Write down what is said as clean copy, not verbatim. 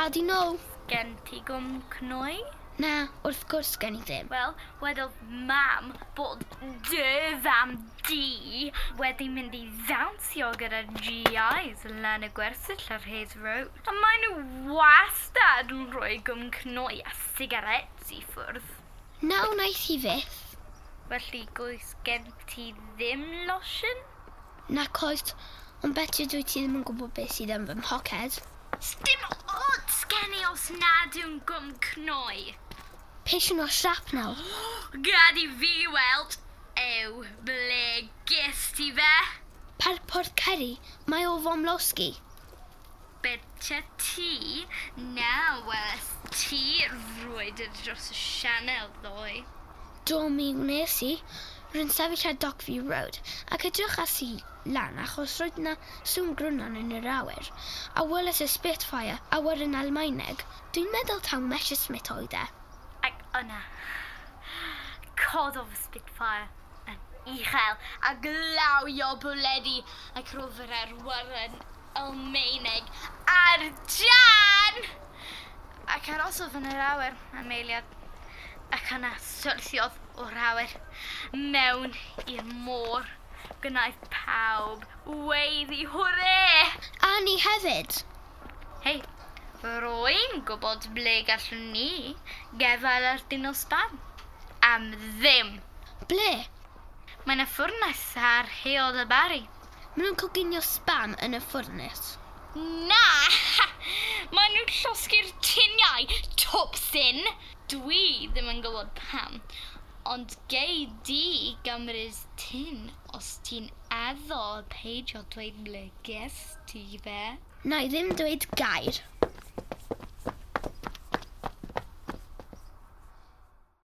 Gad i know. Gen ti gwm cnoi? Na, wrth gwrs gen i ddim. Wel, wedodd mam bod dy fam di wedi mynd i ddawnsio gyda GIs lan y gwersyll ar Hayes Road. A maen nhw wastad yn rhoi gwm cnoi a sigaréts i ffwrdd. Na wnaeth hi fyth. Felly goes gen ti ddim losin? Nac oes, ond beti dwi ti ddim yn gwybod beth sydd yn fy mhoced. Sdim ots gen i os nad yw'n gwm cnoi. Peisiwn o shrapnel. Gad i fi weld. Ew, ble ges ti fe? Par Porth Ceri, mae o fomlosgi. Betcha ti na weles ti rwydr dros y sianel ddoe. Do mi wnes i. Rwy'n sefyll ar Dockview Road ac edrychais i lan achos roedd 'na sŵn grwnan yn yr awyr a welais y Spitfire awyren Almaeneg. Dwi'n meddwl taw Messerschmitt oedd e. Ac yna, cododd y Spitfire yn uchel a glawio bwledi ac roedd yr awyren Almaeneg ar dân! Ac arosodd yn yr awyr am eiliad ac yna syrthiodd o'r awyr mewn i'r môr. Gwnaeth pawb weiddi hwre! A ni hefyd. Hei, rwy'n gwybod ble gallwn ni gefail ar dyn o spam. Am ddim. Ble? Mae yna ffwrnes ar Heol y Barri. Maen nhw'n coginio spam yn y ffwrnes. Na! Maen nhw'n llosgi'r tiniau, twpsyn! Dwi ddim yn gwybod pam, ond gei di gymryd tin os ti'n addo peidio dweud ble ges ti fe. Na i ddim dweud gair.